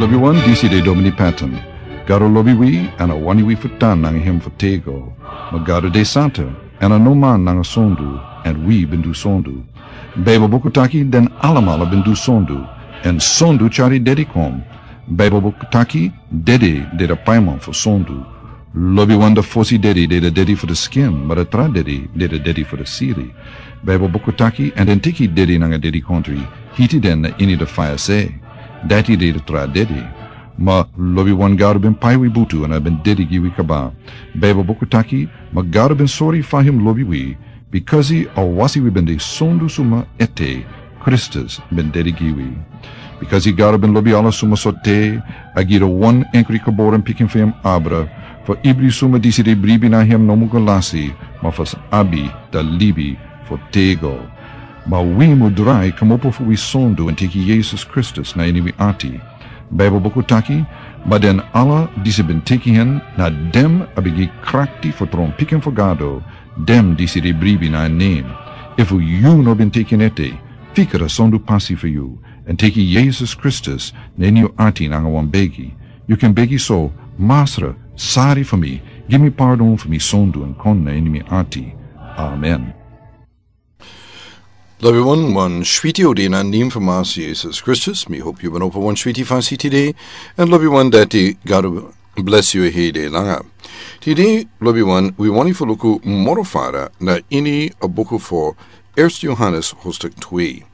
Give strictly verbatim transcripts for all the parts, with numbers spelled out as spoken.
Lobi wan, disi de Domini Patton. Gado lobi wi, èn a wani wi fu tan nanga hem fu tego. Ma Gado de santa, èn a no man nanga sondu, èn wi ben du sondu. Baibel buku taki den alamala ben du sondu, èn sondu tyari dedi kon. Baibel buku taki dede de de paiman fu sondu. Lobi wan, de fosi dedi de de dedi fu de skin, ma de tra dedi de de dedi fu de siri. Baibel buku taki, èn den teki dedi nanga dedi kontri, hiti den na ini de faya se. Dati de de tra dedi. Ma lobi wan, Gado ben pai wi butu èn a ben dedi gi wi kaba. Baibel buku taki, ma Gado ben sori fa hem lobi wi, bikasi a wasi wi ben de sondu suma ete, Kristus ben dedi gi wi. Bikasi Gado ben lobi ala suma sortu, a gi de wan enkri geboren pikin fu hem abra, fu ibri suma disi de bribi na hem no mu go lasi, ma fu sa abi de libi fu tego. Ma wi mu drai kmopo fu wi sondu èn teki Yesus Kristus na ini wi ati. Baibel buku taki, ma den ala disi ben teki hen, na den a ben gi krakti fu tron pikin fu Gado, den disi de bribi na en nen. Efu yu no ben teki en ete, fika de sondu pasi fu yu, èn teki Yesus Kristus na ini yu ati nanga wan begi. Yu kan begi so: Masra, sari fu mi, gi mi pardon fu mi sondu èn kon na ini mi ati. Amen. Lobi wan, wan switi odi na nen fu Masra Yesus Kristus. Mi hopi yu ben opo wan switi fasi tide, èn lobi wan, dati Gado blesi yu heri langa. Tide, lobi wan, wi wani fu luku moro fara na ini a buku fu Eerste Johannes hoofdstuk twee.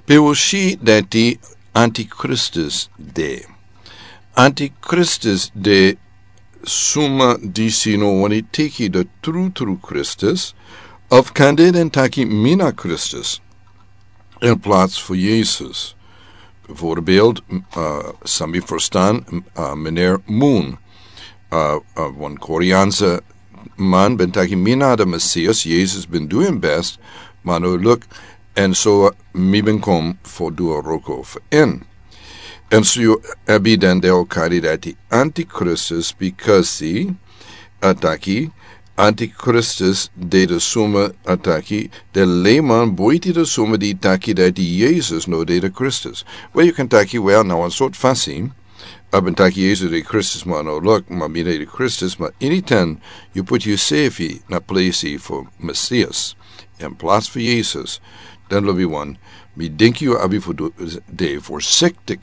Pe wi si dati antikristus de. Antikristus de suma disi no wani teki de trutru Kristus, of kande den taki mi na Kristus, in plaats fu Yesus. Bijvoorbeeld, uh, san mi ferstan, uh, meneer Moon, uh, uh, wan Koreaanse man ben taki mi na de Messias, Yesus ben du en best, ma no luk, èn so mi ben kon fu du a wroko fu en. Èn so yu abi den de o kari dati antikristus, bikasi a taki antikristus de de suma a taki de leiman boiti de suma di taki dati Yesus no de de Kristus. Wel, yu kan taki, wel, na wan sortu fasi a ben taki Yesus de Kristus, ma no luk, ma mi de de Kristus, ma ini ten yu poti yusefi na plesi fu Messias in plaats fu Yesus, dan lobi wan, mi denki yu abi fu du, de voorzichtig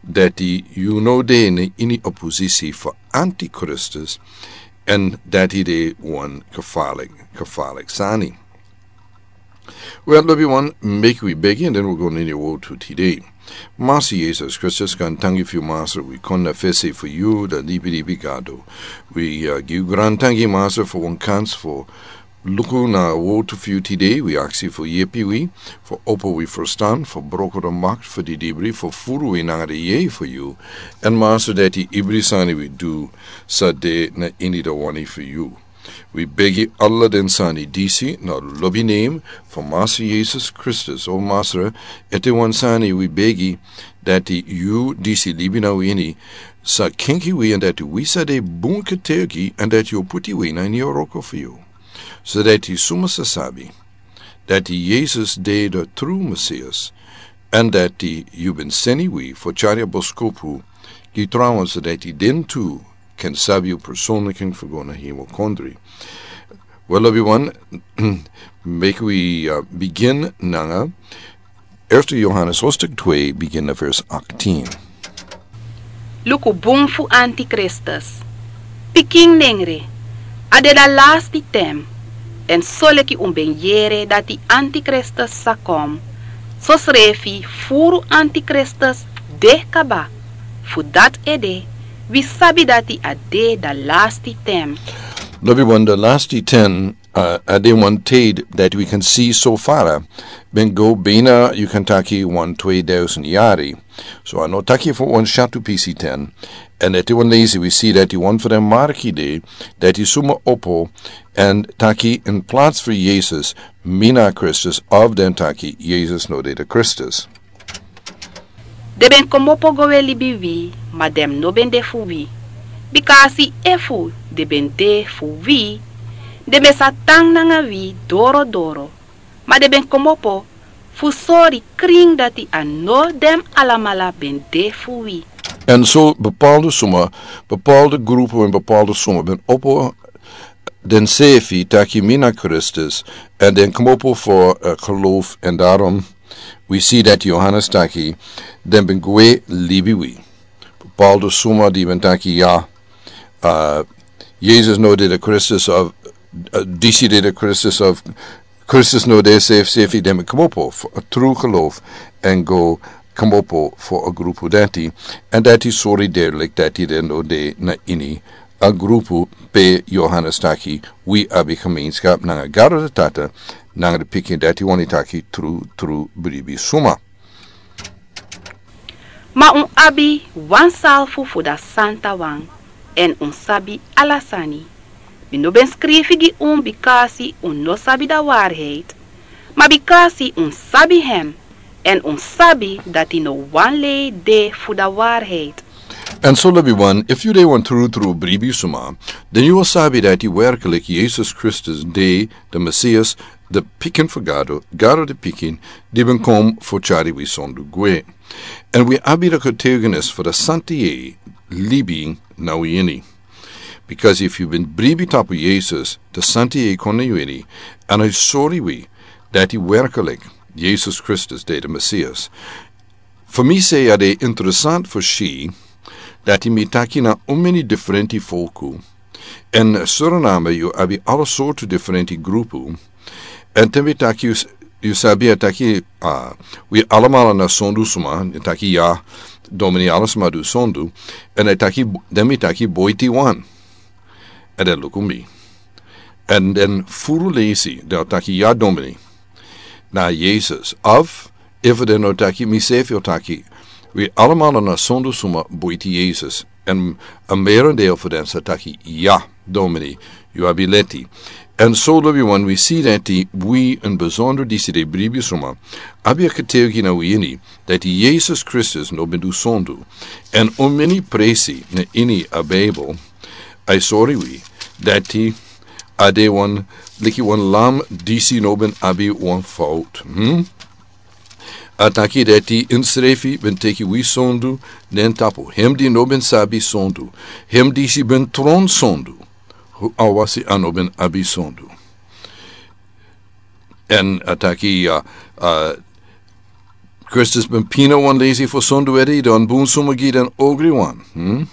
dati yu no de na ini opposisi fu antikristus, èn dati de wan gevaarlijk, gevaarlijk sani. Wel, lobi wan, meki wi begi, èn den wi go na ini a wortu tide. Masra Yesus Kristus, grantangi fu yu, Masra, wi kon na fesi fu yu, de libi libi Gado. Wi, uh, gi yu grantangi, Masra, fu wan kans fu luku na a wortu fu yu tide. Wi aksi fu yepi wi, fu opo wi ferstan, fu broko de makt fu di dibri, fu furu wi nanga de yeye fu yu. Èn Masra, dati ibri sani wi du sa de na ini de wani fu yu. Wi begi ala den sani disi na lobi nen fu Masra Yesus Kristus. O Masra, ete wan sani wi begi, dati yu disi libi na wi ini sa kenki wi, èn dati wi sa de bun getuigi, èn dati yu o poti wi na ini a wroko fu yu. So dati suma sa sabi dati Yesus de de trutru Messias, èn dati yu ben seni wi fu tyari a boskopu gi trawan, so dati den tu kan sabi yu personlik èn fu go na hemel kondre. Wel, lobi wan, meki wi, uh, bigin nanga Eerste Johannes hoofdstuk twee, bigin na vers achttien. Luku bun fu antikristus. Pikin nengre, a de de lasti ten, èn soleki un ben yere dati antikristus sa kon, sosrefi furu antikristus de kaba. Fu dati ede, wi sabi dati a de de lasti ten. Lobi wan, de lasti ten, uh, a de wan tijd dati wi kan si so fara ben go bina, yu kan taki, wan tweeduizend yari. So a no taki fu wan syatu pisi ten. Èn ete wan leisi wi si dati wan fu den marki de, dati suma opo èn taki in plaats fu Yesus, mi na Kristus, of den taki Yesus no de de Kristus. Den ben kmopo go we libi wi, ma den no ben de fu wi. Bikasi efu den ben de fu wi, den ben sa tan nanga wi dorodoro. Ma den ben kmopo fu sori krin dati a no den alamala ben de fu wi. En so bepaalde suma, bepaalde grupu en bepaalde suma ben opo den sefi taki mi na Kristus, en den kmopo fo, eh, geloof, en daarom we see dat Johannes taki den ben gwe libi wi. Bepaalde suma di ben taki ya, eh, Jesus no de de Kristus of, eh, disi de de Kristus of Kristus no de sefi, sefi den ben kmopo fo a tru geloof en go kmopo fo a grupu dati. En dati sori derlik dati den no de na ini a grupu pe Johannes taki wi abi gemeenschap nanga Gado de Tata, nanga de pikin dati wani taki tru, tru bribi suma. Ma un abi wan salfu fu da santa wan, en un sabi ala sani. Mi no ben skrifi gi un bikasi un no sabi da waarheid, ma bikasi un sabi hem, en un sabi dati no wan lei de fu da waarheid. En so libi wan, efu yu de wan tru tru bribi suma, den yu o sabi dati werkelijk Jesus Kristus de de Messias, de pikin fu Gado, Gado de pikin, di ben kom fu tyari wi sondu gwe. En wi abi de getuigenis fu de santa yeye libi na wi ini. Because efu yu ben bribi tapu Jesus, de santa yeye kon na yu ini, en a sori wi dati werkelijk Jesus Kristus de de Messias. Fu mi sei a de interessant fu si dati mi taki na un meni diferenti folku. En Suriname yu abi ala sortu diferenti grupu. En te mi taki yu s-, yu sabi a taki, ah, wi alamala na sondu suma, en taki ya, domini ala suma du sondu. En a taki, den mi taki boiti wan. En den luku mi. En den furu leisi, den taki ya domini. Na Jesus. Of, efu den no taki, mi sefi o taki. Wi alamala na sondu suma boiti Jesus. En a merendeel fu den sa taki, ya, domini, yu abi leti. En so libi wan wi si dati wi en bezonder disi de bribi suma. Abi a getuigi na wi ini, dati Jesus Kristus no ben du sondu. En un meni presi na ini a Bijbel. A sori wi, dati a de wan, liki wan lam disi no ben abi wan fout. Hmm? A taki dati insrefi ben teki wi sondu, den tapu. Hem di no ben sabi sondu. Hem disi ben tron sondu. Hu a wasi a no ben abi sondu. En a taki, ah, ah, Kristus ben pina wan leisi fu sondu edi, dan bun suma gi den ogri wan. Hmm?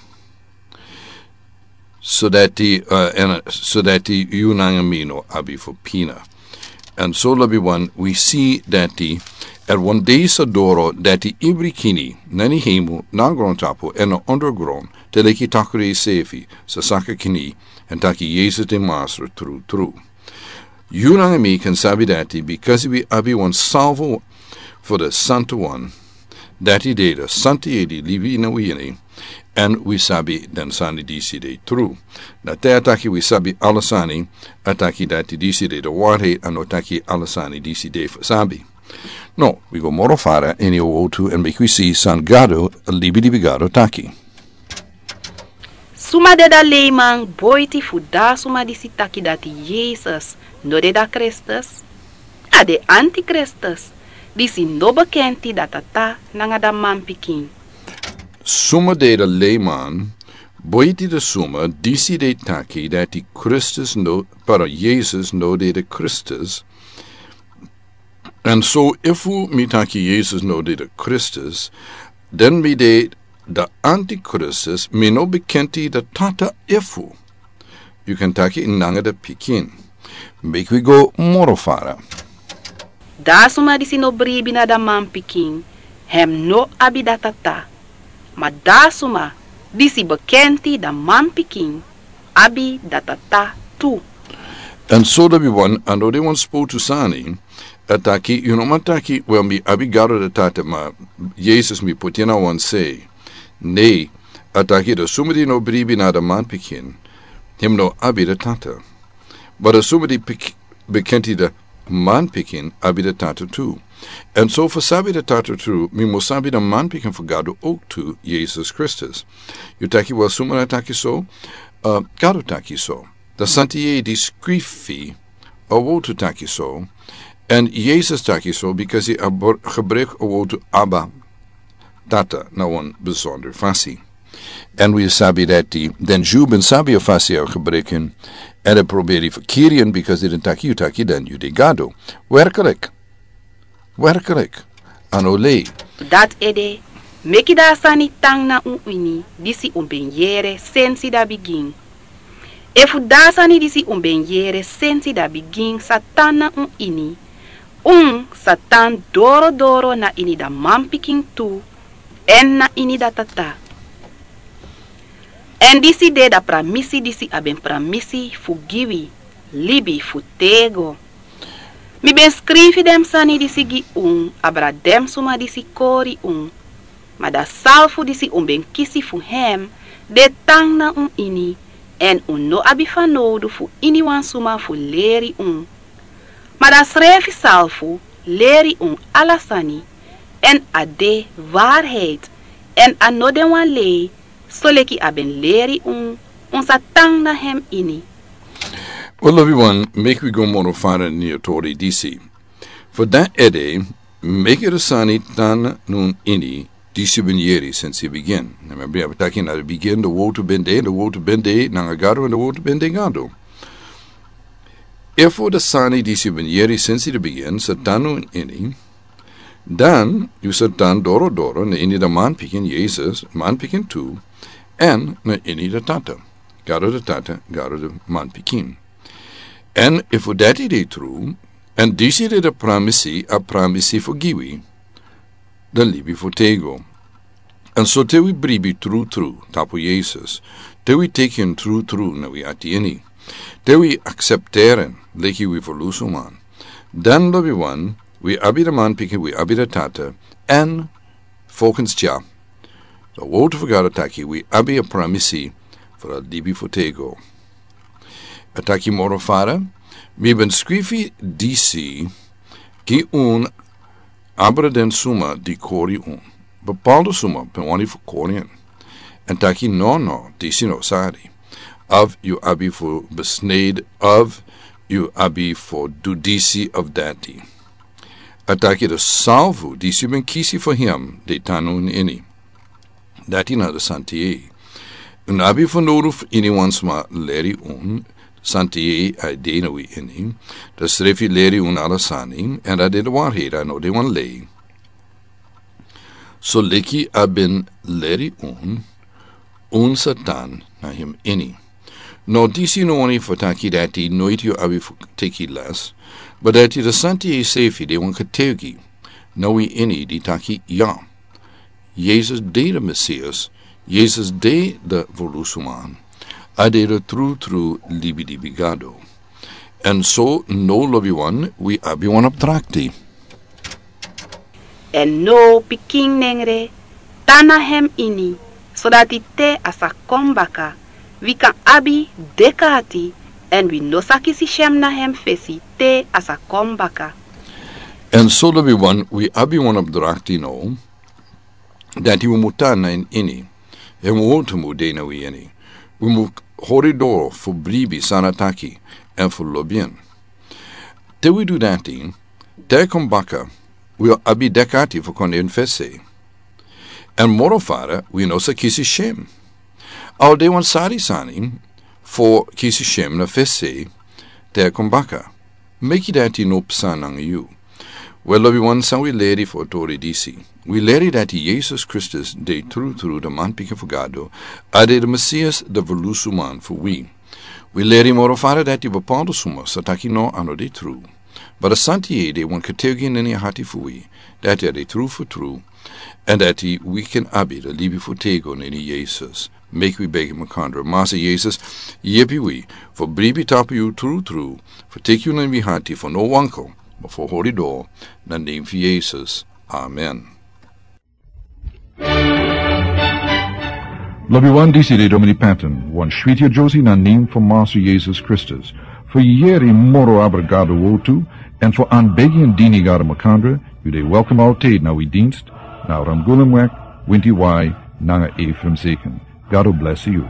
So dati, ah, en, so dati yu nanga mi no abi fu pina. En so libi wan, wi si dati, er wan dei sa doro dati ibri kini, na ini hemel, na grondtapu, en na ondergrond, te leki takri sefi, sa saka kini, en taki Jesus de Masra tru, tru. Yu nanga mi kan sabi dati, bikasi wi abi wan salvo fu de santa wan. Dati de de santa yeye di libi na wi ini, en wi sabi den sani disi de tru. Na te a taki wi sabi ala sani, a taki dati disi de de waarheid, a no taki ala sani disi de fu sabi. No, wi go moro fara ini a wotu, en meki wi si san Gado, libi libi Gado taki. Suma de da leiman boiti fu da suma disi taki dati Jesus no de da Kristus? A de antikristus, disi no bekenti da Tata nanga da manpikin. Suma de da leiman boiti da suma disi de taki dati Kristus no, para Jesus no de da Kristus. En so efu mi taki Jesus no de da Kristus, den mi de da antikristus, mi no bekenti da Tata efu. Yu kan taki nanga da pikin. Meki wi go moro fara. Da suma disi no bribi na da manpikin, hem no abi da Tata. Ma da suma disi bekenti da manpikin, abi da Tata tu. En so libi wan, a no de wan spotu sani, a taki, yu no man taki, wel, mi abi Gado da Tata, ma Jesus mi poti na wan sei. Ne, a taki da suma di no bribi na da manpikin, hem no abi da Tata. Ma da suma di pik-, bekenti da manpikin, abi da Tata tu. En so fu sabi da Tata tu, mi mus sabi da manpikin fu Gado ok tu, Jesus Kristus. Yu taki, wel, suma na taki so, ah, Gado taki so. Da santa yeye di skrifi a wotu taki so, en Jesus taki so, bikasi a br-, gebruik a wotu Abba, Tata, na wan besonder fasi. Èn wi sabi dati den Jew ben sabi a fasi a gebreken, èn a proberi fu kiri en, bikasi den taki yu taki den yu de gado. Werklik. Werklik. A no lei. Dati ede, meki dan a sani tan na un ini disi un ben yere sensi dan bigin. Efu dan a sani disi un ben yere sensi dan bigin sa tan na un ini, un sa tan dorodoro na ini dan manpikin tu, èn na ini dan Tata. Èn disi de dan pramisi disi a ben pramisi fu gi wi, libi fu tego. Mi ben skrifi den sani disi gi un abra den suma disi kori un. Ma dan salfu disi un ben kisi fu hem de tan na un ini, èn un no abi fanowdu fu iniwan suma fu leri un. Ma dan srefi salfu leri un ala sani, èn a de waarheid, èn a no de wan lei, soleki a ben leri un, un sa tan na hem ini. Wel, lobiwan, meki wi go moro fara ini a tori disi. Fu dan ede, meki a sani tan na un ini disi un ben yere sensi bigin. Na mi ben abi taki na bigin dan wowtu ben de, dan wowtu ben de nanga Gado, èn dan wowtu ben de Gado. Efu dan sani disi un ben yere sensi dan bigin sa tan na un ini, dan yu sa tan dorodoro na ini dan manpikin Yesus, manpikin tu, èn na ini dan Tata, Gado dan Tata, Gado dan manpikin. Èn efu dati de tru, èn disi de dan pramisi, a pramisi fu gi wi dan libi fu tego. Èn so te wi bribi trutru tapu Yesus, te wi teki en trutru na wi ati ini, te wi aksepteri en leki wi ferlusuman, dan lobiwan, wi abi dan manpikin, wi abi dan Tata, èn volgens dya, dan wowtu fu Gado taki wi abi a pramisi fu a libi fu tego. A taki moro fara, mi ben skrifi disi gi un abra den suma di kori un. Bepaalde suma ben wani fu kori en. Èn taki no, no, disi no sari. Of yu abi fu besnede, of yu abi fu du disi of dati. A taki dan salfu disi ben kisi fu hem de tan na un ini. Dati na dan santiyei. Un no abi fanowdu fu iniwan suma leri un, santiyei a de na wi ini. Dan srefi leri un ala sani, èn a de dan waarheid, a no de wan lei. So leki a ben leri un, un sa tan na hem ini. No, disi no wani fu taki dati noiti yu abi fu teki les, ma dati dan santiyei srefi de wan kategi na wi ini di taki ya, Yesus de dan Mesias, Yesus de dan ferlusuman, a de dan trutru libilibi Gado. Èn so now, lobiwan, wi abi wan opdrakti. Èn now, pikin nengre, tan na hem ini, sodati te a sa kon baka, wi kan abi deki ati, èn wi no sa kisi syen na hem fesi te a sa kon baka. Èn so, lobiwan, wi abi wan opdrakti now, dati wi mu tan na en ini, èn wowtu mu de na wi ini. Wi mu hori doro fu bribi san a taki, èn fu lobi en. Te wi du dati, te a kon baka, wi o abi deki ati fu kon na en fesi. Èn moro fara, wi no sa kisi syen. A o de wan sari sani fu kisi syen na fesi, te a kon baka. Meki dati no psa nanga yu. Wel, lobiwan, san wi leri fu a tori disi? Wi leri dati Yesus Kristus de trutru dan manpikin fu Gado, a de dan Mesias, dan ferlusuman fu wi. Wi leri moro fara dati bepaalde suma sa taki no, a no de tru. Ma dan santiyei de wan kategi na ini a hati fu wi, dati a de tru fu tru, èn dati wi kan abi dan libi fu tego na ini Yesus. Meki wi begi makandra. Masa Yesus, yepi wi fu bribi tapu yu trutru, fu teki yu na wi hati fu no wanko, ma fu hori doro, na nen fu Yesus. Amen. Lobiwan, disi de Domini Patton, wan switi a Josi na nen fu Masa Yesus Kristus. Fu yere moro abra Gado wowtu, èn fu anbegi èn dini Gado makandra, yu de welkom altijd na wi dienst, na Ramgulumweg, Winti Wai, nanga Ephraim Seken. Gado blesi yu.